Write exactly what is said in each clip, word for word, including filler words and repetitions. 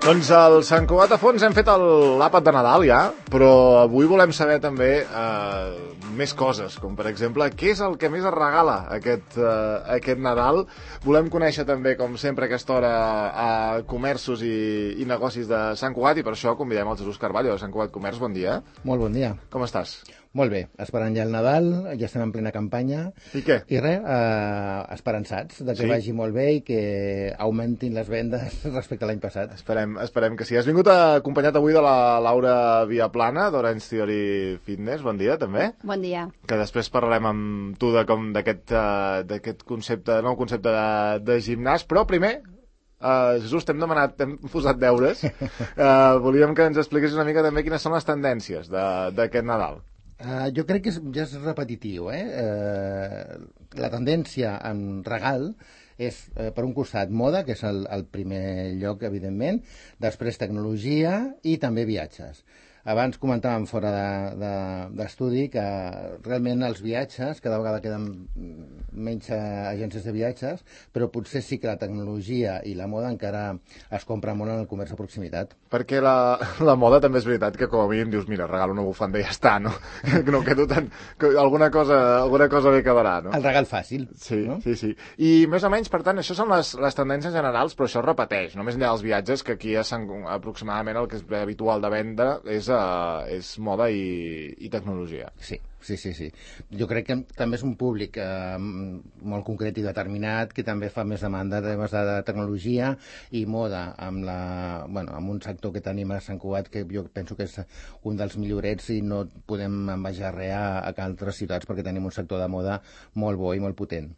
Doncs al Sant Cugat a fons hem fet l'àpat de Nadal ja, però avui volem saber també eh, més coses, com per exemple, què és el que més es regala aquest, eh, aquest Nadal. Volem conèixer també, com sempre, a aquesta hora a comerços i, i negocis de Sant Cugat, i per això convidem el Jesús Carballo de Sant Cugat Comerç. Bon dia. Molt bon dia. Com estàs? Molt bé, esperant ja el Nadal, ja estem en plena campanya. I què? I res, eh, esperançats de que sí? vagi molt bé i que augmentin les vendes respecte a l'any passat. Esperem, esperem que sí. Has vingut acompanyat avui de la Laura Viaplana, d'Orange Theory Fitness. Bon dia, també. Bon dia. Que després parlarem amb tu de com d'aquest uh, d'aquest concepte, nou concepte de, de gimnàs, però primer... Uh, Jesús, t'hem demanat, t'hem posat deures. Uh, volíem que ens expliquessis una mica també quines són les tendències d'aquest Nadal. Uh, jo crec que és, ja és repetitiu, eh? Uh, la tendència en regal és, uh, per un costat, moda, que és el, el primer lloc, evidentment, després tecnologia i també viatges. Abans comentàvem fora d'estudi de, de, que realment els viatges cada vegada queden menys agències de viatges, però potser sí que la tecnologia i la moda encara es compra molt en el comerç de proximitat. Perquè la, la moda també és veritat que com a mínim dius, mira, regalo una bufanda i ja està, no? Que no quedo tan... Que alguna cosa, alguna cosa bé quedarà, no? El regal fàcil. Sí, no? sí, sí. I més o menys, per tant, això són les, les tendències generals, però això es repeteix, no més enllà dels viatges, que aquí ja aproximadament el que és habitual de venda és Uh, és moda i, i tecnologia. Sí, sí, sí, sí. Jo crec que també és un públic uh, molt concret i determinat que també fa més demanda de temes de tecnologia i moda amb, la, bueno, amb un sector que tenim a Sant Cugat que jo penso que és un dels millorets i no podem envejar res a, a altres ciutats perquè tenim un sector de moda molt bo i molt potent.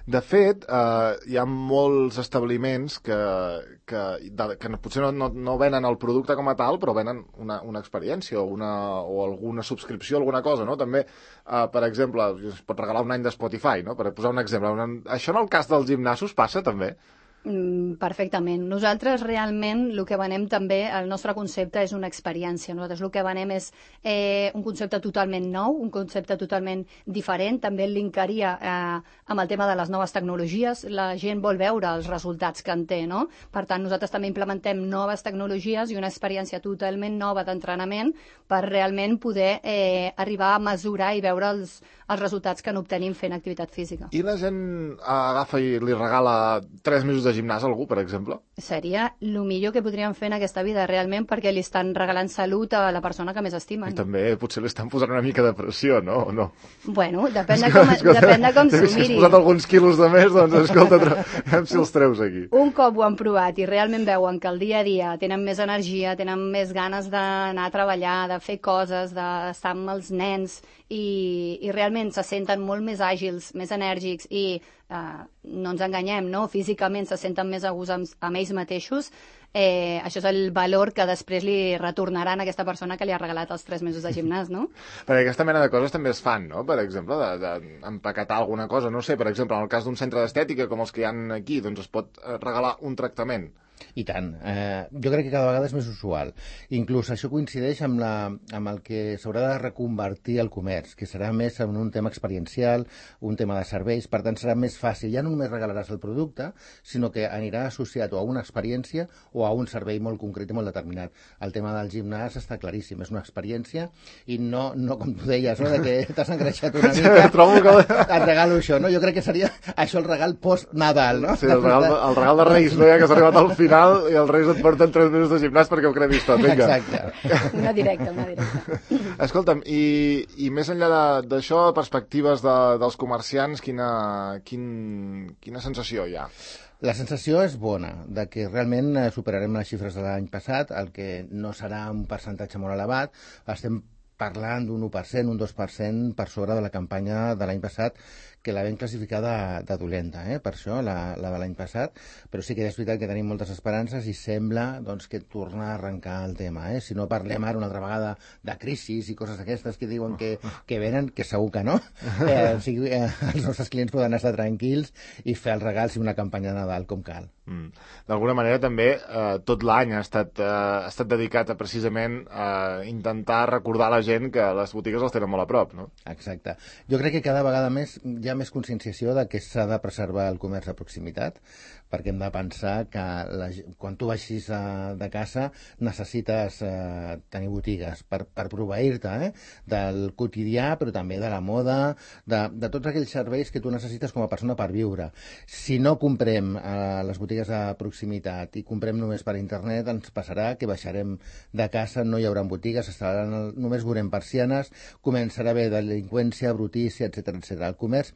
De fet, eh, hi ha molts establiments que, que, de, que potser no, no, no venen el producte com a tal, però venen una, una experiència o, una, o alguna subscripció, alguna cosa, no? També, eh, per exemple, es pot regalar un any de Spotify, no? Per posar un exemple. Una, això en el cas dels gimnasos passa també? Mm, perfectament. Nosaltres realment el que venem també, el nostre concepte és una experiència. Nosaltres el que venem és eh, un concepte totalment nou, un concepte totalment diferent. També el linkaria eh, amb el tema de les noves tecnologies. La gent vol veure els resultats que en té, no? Per tant, nosaltres també implementem noves tecnologies i una experiència totalment nova d'entrenament per realment poder eh, arribar a mesurar i veure els, els resultats que n'obtenim fent activitat física. I la gent agafa i li regala tres mesos de gimnàs a algú, per exemple? Seria el millor que podríem fer en aquesta vida, realment, perquè li estan regalant salut a la persona que més estimen. I també potser li estan posant una mica de pressió, no? O no? Bueno, depèn de com, depèn de com s'ho miri. Si has posat alguns quilos de més, doncs escolta, veiem si els treus aquí. Un cop ho han provat i realment veuen que el dia a dia tenen més energia, tenen més ganes d'anar a treballar, de fer coses, d'estar amb els nens i, i realment se senten molt més àgils, més enèrgics i Uh, no ens enganyem, no? Físicament se senten més a gust amb, amb ells mateixos, eh, això és el valor que després li retornaran a aquesta persona que li ha regalat els tres mesos de gimnàs, no? Perquè aquesta mena de coses també es fan, no? Per exemple, d'empaquetar alguna cosa, no sé, per exemple, en el cas d'un centre d'estètica com els que hi ha aquí, doncs es pot regalar un tractament. I tant. Eh, jo crec que cada vegada és més usual. Inclús això coincideix amb, la, amb el que s'haurà de reconvertir el comerç, que serà més en un tema experiencial, un tema de serveis, per tant serà més fàcil. Ja no només regalaràs el producte, sinó que anirà associat o a una experiència o a un servei molt concret i molt determinat. El tema del gimnàs està claríssim, és una experiència i no, no com tu deies, no? De que t'has engreixat una mica, trobo que... et regalo això, no? Jo crec que seria això el regal post-Nadal, no? Sí, el regal, el regal de Reis, no? Ja que s'ha arribat al final i els Reis et porten tres mesos de gimnàs perquè ho cremis tot. Vinga. Exacte. Una directa, una directa. Escolta'm, i, i més enllà d'això, perspectives de, dels comerciants, quina, quin, quina sensació hi ha? La sensació és bona, de que realment superarem les xifres de l'any passat, el que no serà un percentatge molt elevat. Estem parlant d'un u per cent, un dos per cent per sobre de la campanya de l'any passat, que la vam classificar de, de dolenta, eh? Per això, la, la de l'any passat, però sí que és veritat que tenim moltes esperances i sembla doncs, que torna a arrencar el tema. Eh? Si no parlem ara una altra vegada de crisis i coses d'aquestes que diuen que, que venen, que segur que no, eh, o sigui, eh, els nostres clients poden estar tranquils i fer el regal si una campanya de Nadal com cal. Mm. D'alguna manera també eh, tot l'any ha estat, eh, ha estat dedicat a precisament a intentar recordar a la gent que les botigues els tenen molt a prop, no? Exacte. Jo crec que cada vegada més ja ha més conscienciació de que s'ha de preservar el comerç de proximitat, perquè hem de pensar que la, quan tu baixis a, de casa necessites eh, tenir botigues per, per proveir-te eh, del quotidià, però també de la moda, de, de tots aquells serveis que tu necessites com a persona per viure. Si no comprem a les botigues de proximitat i comprem només per internet, ens passarà que baixarem de casa, no hi haurà botigues, estaran, només veurem persianes, començarà a haver delinqüència, brutícia, etcètera, etcètera. El comerç,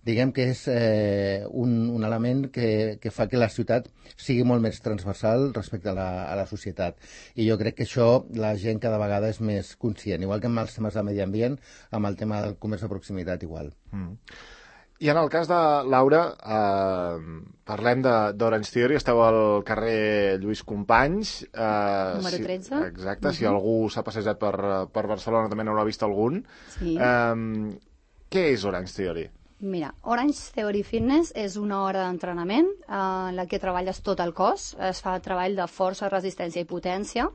diguem que és eh, un, un element que, que fa que la ciutat sigui molt més transversal respecte a la, a la societat. I jo crec que això la gent cada vegada és més conscient, igual que amb els temes de medi ambient, amb el tema del comerç de proximitat igual. Mm. I en el cas de Laura, eh, parlem d'Orange Theory, esteu al carrer Lluís Companys. Eh, Número tretze. Si, exacte, uh-huh. Si Mhm. algú s'ha passejat per, per Barcelona també n'haurà vist algun. Sí. Eh, què és Orange Theory? Mira, Orange Theory Fitness és una hora d'entrenament eh, en la que treballes tot el cos, es fa treball de força, resistència i potència.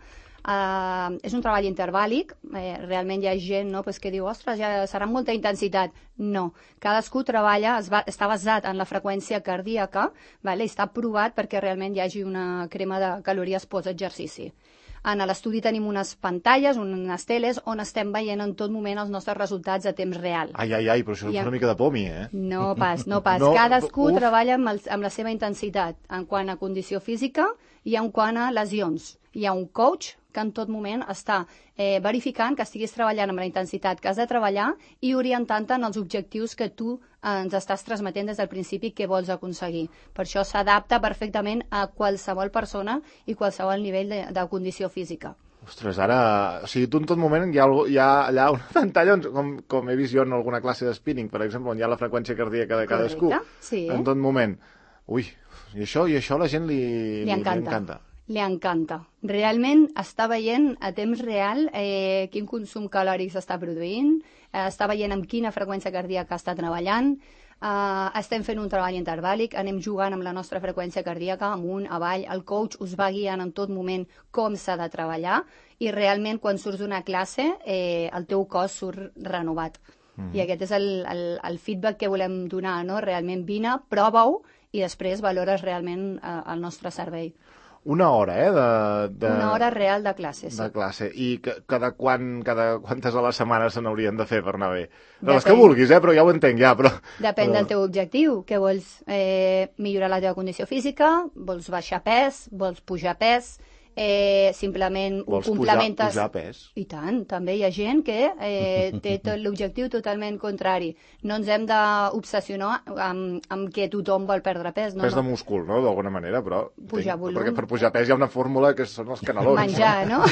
Uh, és un treball intervàlic, eh, realment hi ha gent no, pues, que diu, ostres, ja serà molta intensitat. No, cadascú treballa, es va, està basat en la freqüència cardíaca, vale? I està provat perquè realment hi hagi una crema de calories post-exercici. En l'estudi tenim unes pantalles, unes teles, on estem veient en tot moment els nostres resultats a temps real. Ai, ai, ai, però això és I una mica de pomi, eh? No pas, no pas. No, Cadascú uf. treballa amb, el, amb la seva intensitat, en quant a condició física i en quant a lesions. Hi ha un coach que en tot moment està eh, verificant que estiguis treballant amb la intensitat que has de treballar i orientant-te en els objectius que tu eh, ens estàs transmetent des del principi que vols aconseguir. Per això s'adapta perfectament a qualsevol persona i qualsevol nivell de, de condició física. Ostres, ara... O sigui, tu en tot moment hi ha, hi ha allà una pantalla on, com, com he vist jo en alguna classe de spinning, per exemple, on hi ha la freqüència cardíaca de cadascú. Correcte, sí. En tot moment. Ui, i això, i això a la gent li, Li encanta. Li encanta. Li encanta. Realment està veient a temps real eh, quin consum calòric s'està produint, eh, està veient amb quina freqüència cardíaca està treballant, eh, estem fent un treball intervàlic, anem jugant amb la nostra freqüència cardíaca, amunt, avall, el coach us va guiant en tot moment com s'ha de treballar i realment quan surts d'una classe eh, el teu cos surt renovat. Mm. I aquest és el, el, el feedback que volem donar, no? Realment vine, prova-ho i després valores realment eh, el nostre servei. Una hora, eh? De, de, Una hora real de classe, sí. De classe. I que, cada, quan, cada quantes a la setmana se n'haurien de fer per anar bé? De Depèn. les que vulguis, eh? Però ja ho entenc, ja. Però... Depèn del teu objectiu. Què vols? Eh, millorar la teva condició física? Vols baixar pes? Vols pujar pes? Eh, simplement ho Vols complementes... pujar, pujar pes? I tant, també hi ha gent que eh, té tot l'objectiu totalment contrari. No ens hem d'obsessionar amb, amb que tothom vol perdre pes. No, Pes de no. múscul, no?, d'alguna manera, però... Pujar tinc, volum. Perquè per pujar pes hi ha una fórmula que són els canelons. Menjar, no?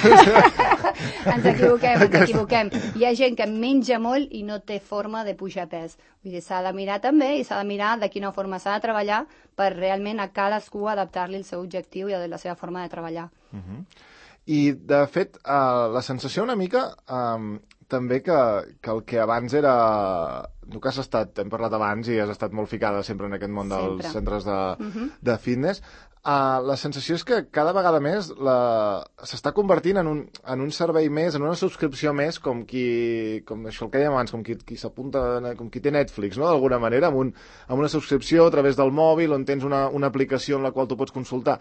ens equivoquem, ens equivoquem. Hi ha gent que menja molt i no té forma de pujar pes. Vull dir, s'ha de mirar també i s'ha de mirar de quina forma s'ha de treballar per realment a cadascú adaptar-li el seu objectiu i la seva forma de treballar. Uh -huh. I, de fet, uh, la sensació una mica um, també que, que el que abans era... Tu que has estat, hem parlat abans i has estat molt ficada sempre en aquest món Sempre. dels centres de, Uh -huh. de fitness, uh, la sensació és que cada vegada més la... s'està convertint en un, en un servei més, en una subscripció més, com qui, com això el que dèiem abans, com qui, qui s'apunta, com qui té Netflix, no?, d'alguna manera, amb, un, amb una subscripció a través del mòbil, on tens una, una aplicació en la qual tu pots consultar.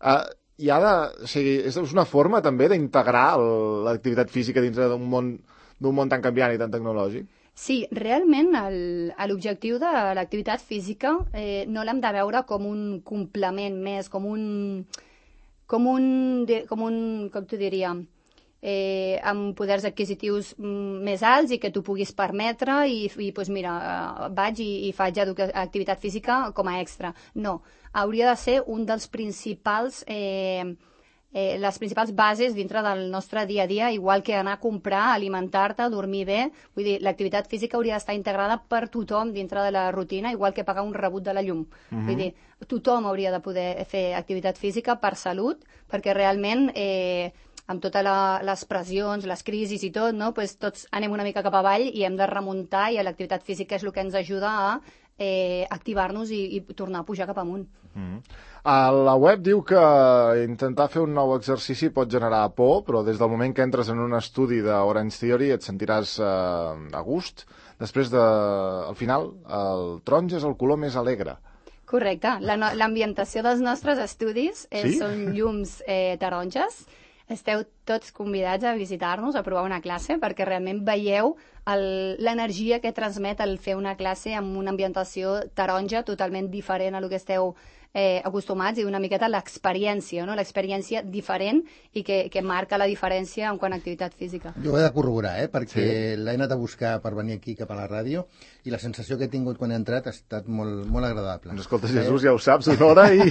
Uh, I ara, o sigui, és una forma també d'integrar l'activitat física dintre d'un món, d'un món tan canviant i tan tecnològic? Sí, realment l'objectiu de l'activitat física eh, no l'hem de veure com un complement més, com un... com un... com un... com t'ho diria... Eh, amb poders adquisitius mm, més alts i que tu puguis permetre i, i doncs mira, eh, vaig i, i faig activitat física com a extra. No, hauria de ser un dels principals... Eh, Eh, les principals bases dintre del nostre dia a dia, igual que anar a comprar, alimentar-te, dormir bé. Vull dir, l'activitat física hauria d'estar integrada per tothom dintre de la rutina, igual que pagar un rebut de la llum. Uh-huh. Vull dir, tothom hauria de poder fer activitat física per salut, perquè realment... Eh, amb totes la, les pressions, les crisis i tot, no? Pues tots anem una mica cap avall i hem de remuntar i l'activitat física és el que ens ajuda a eh, activar-nos i, i tornar a pujar cap amunt. Mm. A la web diu que intentar fer un nou exercici pot generar por, però des del moment que entres en un estudi d'Orange Theory et sentiràs eh, a gust. després de... al final, el taronja és el color més alegre. Correcte. L'ambientació dels nostres estudis eh, Sí? són llums eh, taronges. Esteu tots convidats a visitar-nos, a provar una classe, perquè realment veieu l'energia que transmet el fer una classe amb una ambientació taronja totalment diferent a lo que esteu eh, acostumats, i una miqueta l'experiència, no? L'experiència diferent i que, que marca la diferència en quant a activitat física. Jo ho he de corroborar, eh? perquè Sí. l'he anat a buscar per venir aquí cap a la ràdio i la sensació que he tingut quan he entrat ha estat molt, molt agradable. Doncs escolta, Jesús, ja ho saps, una hora i...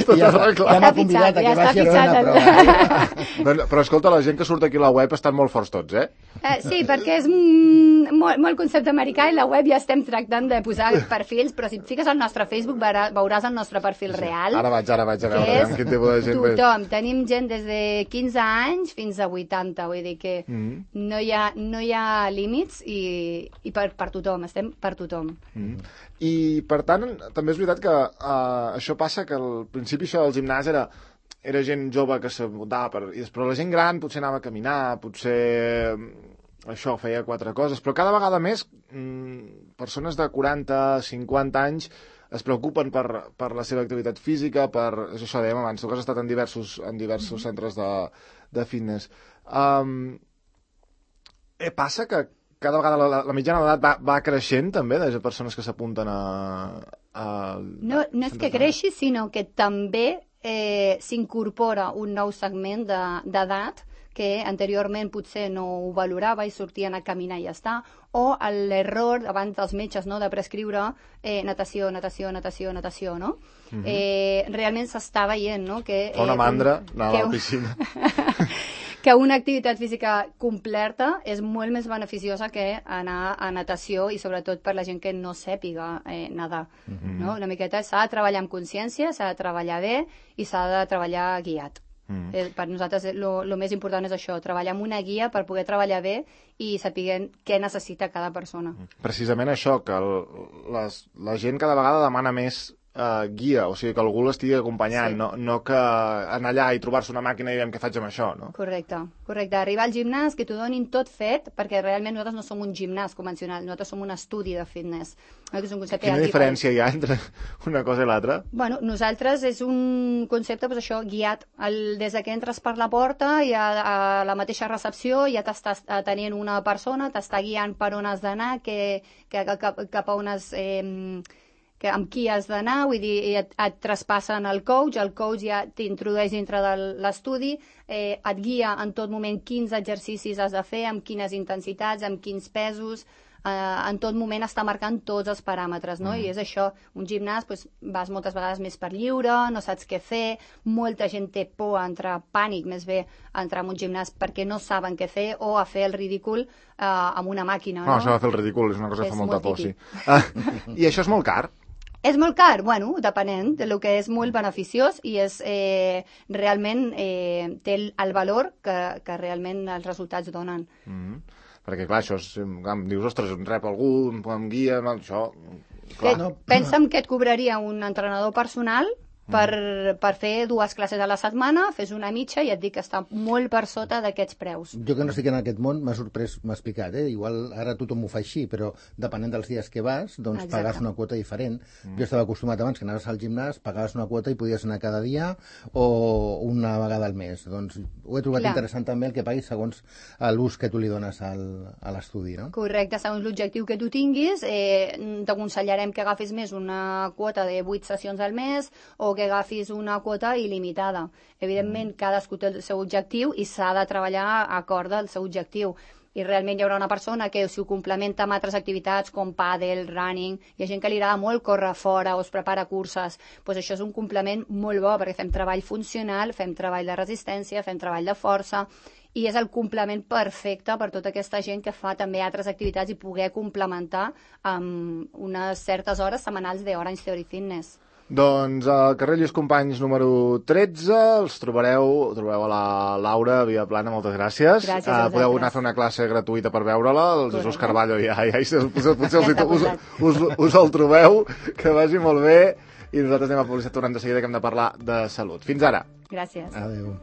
tot I ja, arreglat. ja m'ha Ja està convidat a fitxat, que ja vagi a està veure una fitxat. prova. Doncs, però escolta, la gent que surt aquí a la web estan molt forts tots, eh? Eh, sí, perquè és mm, molt, molt concepte americà i la web ja estem tractant de posar perfils, però si et fiques al nostre Facebook veurà, veuràs el nostre perfil real. Ara vaig, ara vaig a que veure és amb quin tipus de gent ve. tothom. Tenim gent des de quinze anys fins a vuitanta, vull dir que Mm. no, hi ha, no hi ha límits i, i per, per tothom, estem per tothom. Mm. I, per tant, també és veritat que uh, això passa que al principi això del gimnàs era, era gent jove que s'apuntava, per, i després la gent gran potser anava a caminar, potser això feia quatre coses, però cada vegada més mm, persones de quaranta, cinquanta anys es preocupen per, per la seva activitat física, per, és això dèiem abans, tu que has estat en diversos, en diversos centres de, de fitness. Um, eh, passa que cada vegada la, la mitjana d'edat va, va creixent també, de persones que s'apunten a, a... No, no és que creixi, sinó que també eh, s'incorpora un nou segment de- d'edat que anteriorment potser no ho valorava i sortien a caminar i ja està, o l'error abans dels metges, no?, de prescriure eh, natació, natació, natació, natació, no? Mhm. eh, realment s'està veient, no?, que... Fa una eh, mandra, un- anar que a la un- piscina. que una activitat física completa és molt més beneficiosa que anar a natació, i sobretot per la gent que no sàpiga eh, nedar. Mhm. No? Una miqueta s'ha de treballar amb consciència, s'ha de treballar bé i s'ha de treballar guiat. Mm. Eh, per nosaltres el més important és això, treballar amb una guia per poder treballar bé i saber què necessita cada persona. Precisament això, que el, les, la gent cada vegada demana més uh, guia, o sigui, que algú l'estigui acompanyant, Sí. no, no que anar allà i trobar-se una màquina i veiem què faig amb això, no? Correcte, correcte. Arribar al gimnàs, que t'ho donin tot fet, perquè realment nosaltres no som un gimnàs convencional, nosaltres som un estudi de fitness. És un concepte Quina ja diferència hi ha entre una cosa i l'altra? Bueno, nosaltres és un concepte, doncs això, guiat. El, des que entres per la porta i a, a la mateixa recepció ja t'estàs atenent una persona, t'està guiant per on has d'anar, que, que, cap, cap a on has... Eh, que amb qui has d'anar, vull dir, et, et traspassen el coach, el coach ja t'introdueix dintre de l'estudi, eh, et guia en tot moment quins exercicis has de fer, amb quines intensitats, amb quins pesos, eh, en tot moment està marcant tots els paràmetres, no? Mm. I és això, un gimnàs, doncs, vas moltes vegades més per lliure, no saps què fer, molta gent té por a entrar, pànic més bé, a entrar en un gimnàs perquè no saben què fer, o a fer el ridícul eh, amb una màquina, No, no? això de fer el ridícul és una cosa que És fa molta molt por, sí. típic. Ah, I això és molt car? És molt car, bueno, depenent de lo que és molt beneficiós i és eh, realment eh, té el, el valor que, que realment els resultats donen. Mm -hmm. Perquè, clar, això és... Clar, em dius, ostres, em rep algú, em, em guia, no, això... Clar. Que, pensa'm que et cobraria un entrenador personal per, per fer dues classes a la setmana, fes una mitja i et dic que està molt per sota d'aquests preus. Jo que no estic en aquest món m'ha sorprès, m'ha explicat, eh? Igual ara tothom ho fa així, però depenent dels dies que vas, doncs Exacte. pagues una quota diferent. Mm. Jo estava acostumat abans que anaves al gimnàs, pagaves una quota i podies anar cada dia o una vegada al mes. Doncs ho he trobat Clar. interessant també el que paguis segons l'ús que tu li dones al, a l'estudi, no? Correcte, segons l'objectiu que tu tinguis, eh, t'aconsellarem que agafis més una quota de vuit sessions al mes o que agafis una quota il·limitada. Evidentment, cadascú té el seu objectiu i s'ha de treballar a acord del seu objectiu. I realment hi haurà una persona que si ho complementa amb altres activitats com pàdel, running, hi ha gent que li agrada molt córrer fora o es prepara curses, doncs això és un complement molt bo perquè fem treball funcional, fem treball de resistència, fem treball de força i és el complement perfecte per tota aquesta gent que fa també altres activitats i poder complementar amb unes certes hores setmanals d'Orange Theory Fitness. Doncs al carrer Lluís Companys número tretze els trobareu, trobareu a la Laura Viaplana, moltes gràcies. Gràcies a uh, podeu vosaltres. anar a fer una classe gratuïta per veure-la, el Jesús Correcte. Carballo ja, ja, ja potser, potser Ja està us, posat. us, us, us el trobeu, que vagi molt bé, i nosaltres anem a publicitat tornem de seguida que hem de parlar de salut. Fins ara. Gràcies. Adéu.